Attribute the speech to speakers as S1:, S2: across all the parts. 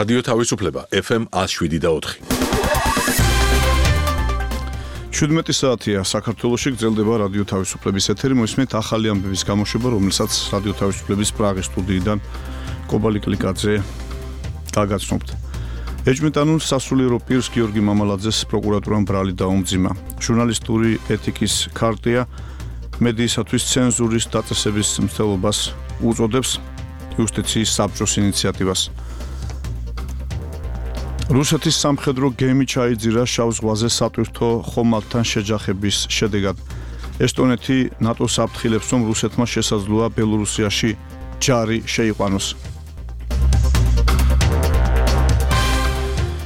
S1: რადიო თავისუფლება FM 107.4.
S2: 17 საათია საქართველოში გრძელდება რადიო თავისუფლების ეთერი, მოისმენთ ახალი ამბების გამოშვება, რომელსაც რადიო თავისუფლების პრაღის სტუდიიდან კობალი კლიკაძე გაგაცნობთ. ეჭვმიტანილ სასულიერო პირს გიორგი მამალაძეს პროკურატურამ ბრალი დაუმძიმა. ჟურნალისტური ეთიკის ქარტია მედიისათვის ცენზურის დაწესების მცდელობას უწოდებს იუსტიციის საბჭოს ინიციატივას. რუსეთის სამხედრო გემი ჩაიძირა შავ ზღვაზე სატვირთო ხომალდთან შეჯახების შედეგად. ესტონეთი ნატოს აფრთხილებს, რომ რუსეთმა შესაძლოა ბელორუსიაში ჯარი შეიყვანოს.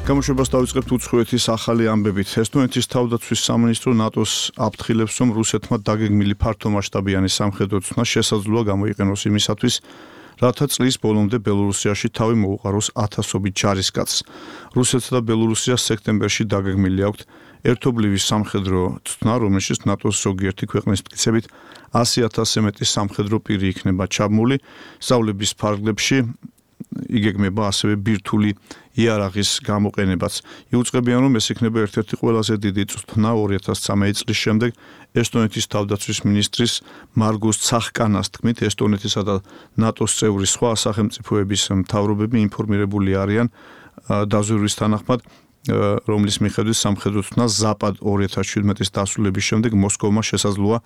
S2: გამოშვებას დავიწყებთ უცხოეთის ახალი ამბებით. ესტონეთის თავდაცვის სამინისტრო ნატოს აფრთხილებს, რომ რუსეთმა დაგეგმილი ფართომასშტაბიანი სამხედრო ცვლა შესაძლოა გამოიყენოს იმისათვის, რათა წლის ბოლომდე ბელორუსიაში თავი მოუყაროს ათასობით ჯარისკაცს. რუსეთსა და ბელორუსიას სექტემბერში დაგეგმილი აქვთ ერთობლივი სამხედრო ცვლა, რომელშიც ნატოს ზოგიერთი ქვეყნის მტკიცებით 100,000-ზე მეტი სამხედრო პირი იქნება ჩაბმული. სწავლების ფარგლებში იგეგმება ასევე ბირთვული იარაღის გამოყენებაც. იუწყებიან, რომ ეს იქნება ერთ-ერთი ყველაზე დიდი ცვლა 2013 წლის შემდეგ. ესტონეთის თავდაცვის მინისტრის მარგუს ცახკანას თქმით, ესტონეთისა და ნატოს წევრი სხვა სახელმწიფოების მთავრობები ინფორმირებული არიან დაზვერვის თანახმად, რომლის მიხედვით სამხედრო ცვლა ზაპად 2017 დასრულების შემდეგ მოსკოვმა შესაძლოა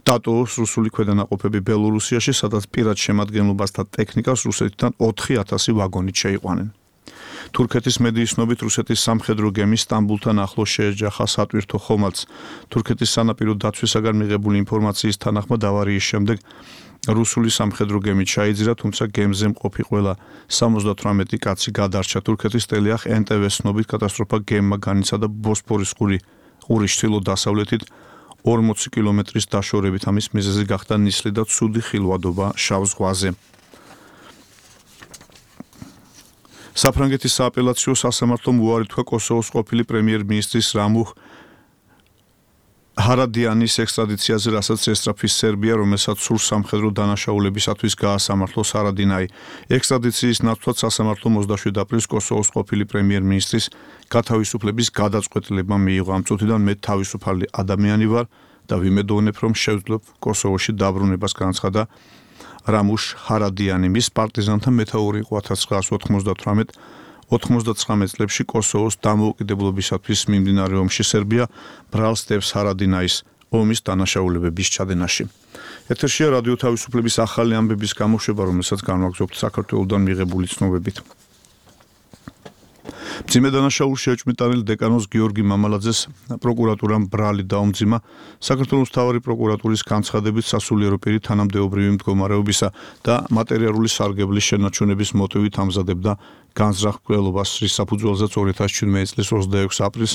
S2: დატოვოს რუსული ქვედანაყოფები ბელორუსიაში, სადაც პირად შემადგენლობას და ტექნიკას რუსეთიდან 4,000 ვაგონით შეიყვანენ. თურქეთის მედიის ცნობით რუსეთის სამხედრო გემი სტამბულთან ახლოს შეეჯახა სატვირთო ხომალდს. თურქეთის სანაპირო დაცვისაგან მიღებული ინფორმაციის თანახმად ავარიის შემდეგ რუსული სამხედრო გემი ჩაიძირა, თუმცა გემზე მყოფი ყველა 78 კაცი გადარჩა. თურქეთის ტელეახ NTV-ს ცნობით კატასტროფა გემმა განიცადა ბოსფორის ყურის ჩრდილო-დასავლეთით 40 კილომეტრის დაშორებით. ამის მიზეზი გახდა ნისლი და ცუდი ხილვადობა შავ ზღვაზე. საფრანგეთის სააპელაციო სასამართლომ უარი თქვა კოსოვოს ყოფილი პრემიერ-მინისტრის რამუხ ჰარადიანის ექსტრადიციაზე, რასაც ესწრაფის სერბია, რომელსაც სურს სამხედრო დანაშაულებისათვის გაასამართლოს ჰარადინაი. ექსტრადიციის ნაცვლად სასამართლომ 27 აპრილს კოსოვოს ყოფილი პრემიერ-მინისტრის გათავისუფლების გადაწყვეტილება მიიღო. ამ წუთიდან მე თავისუფალი ადამიანი ვარ და ვიმედოვნებ, რომ შევძლებ კოსოვოში დაბრუნებას, განაცხადა რამუშ ჰარადიანი. მის პარტიზანთა მეთაური იყო 1998-99 წლებში კოსოვოს დამოუკიდებლობისათვის მიმდინარე ომში. სერბია ბრალს დებს ჰარადინაის ომის დანაშაულებების ჩადენაში. ეთერშია რადიო თავისუფლების ახალი ამბების გამოშვება, რომელსაც განვაგრძობთ საქართველოსდან მიღებული ცნობებით. მძიმე დანაშაულში ეჭვმიტანილ დეკანოზ გიორგი მამალაძეს პროკურატურამ ბრალი დაუმძიმა. საქართველოს მთავარი პროკურატურის განცხადებით, სასულიერო პირი თანამდებობრივი მდგომარეობისა და მატერიალური სარგებლის შენარჩუნების მოტივით ამზადებდა განზრახ მკვლელობას, რის საფუძველზეც 2017 წლის 26 აპრილს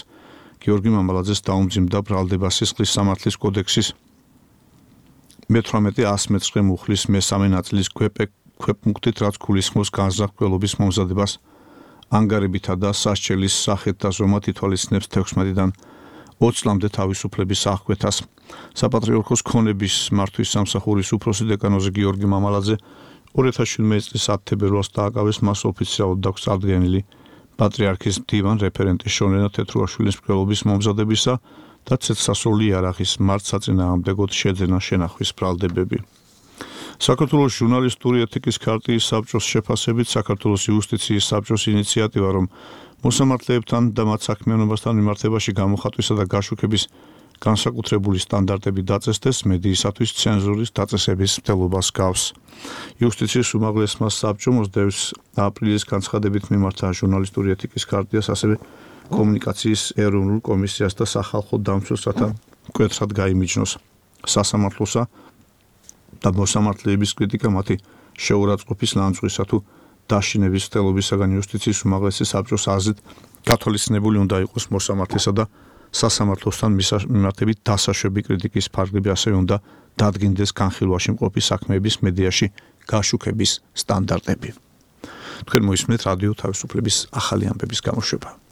S2: გიორგი მამალაძეს დაუმძიმდა ბრალდება სისხლის სამართლის კოდექსის 18-119 მუხლის მესამე ნაწილის ქვეპუნქტით, რაც გულისხმობს განზრახ მკვლელობის მომზადებას ანგარებითა და სასჯელის სახით და ზომად ითვალისწინებს 16-დან 20 წლამდე თავისუფლების აღკვეთას. საპატრიარქოს ქონების მართვის სამსახურის უფროსი დეკანოზი გიორგი მამალაძე 2017 წლის 10 თებერვალს დააკავეს მას ოფიციალურად აქვს წარდგენილი პატრიარქის მდივან რეფერენტი შონენა თეთრუაშვილის მკვლელობის მომზადებისა და ცეცხლსასროლი იარაღის მართსაწინააღმდეგოდ შეძენა შენახვის ბრალდებები. საქართველოს ჟურნალისტური ეთიკის ქარტიის საბჭოს შეფასებით საქართველოს იუსტიციის საბჭოს ინიციატივა, რომ მოსამართლეებთან და მათ საქმიანობასთან მიმართებაში გამოხატვისა და გაშუქების განსაკუთრებული სტანდარტები დაწესდეს, მედიისათვის ცენზურის დაწესების მცდელობას გავს. იუსტიციის უმაღლესმა საბჭომ 29 აპრილის განცხადებით მიმართა ჟურნალისტური ეთიკის ქარტიას, ასევე კომუნიკაციის ეროვნულ კომისიას და სახალხო დამცველს, რათა მკვეთრად გაიმიჯნოს სასამართლოსა და მოსამართლეების კრიტიკა მათი შეურაცხყოფის ლანძღვისა თუ დაშინების მცდელობისაგან. იუსტიციის უმაღლესი საბჭოს აზრით გათვალისწინებული უნდა იყოს მოსამართლესა და სასამართლოსთან მიმართებით დასაშვები კრიტიკის ფარგლები, ასევე უნდა დადგინდეს განხილვაში მყოფი საქმეების მედიაში გაშუქების სტანდარტები. თქვენ მოისმენთ რადიო თავისუფლების ახალი ამბების გამოშვება.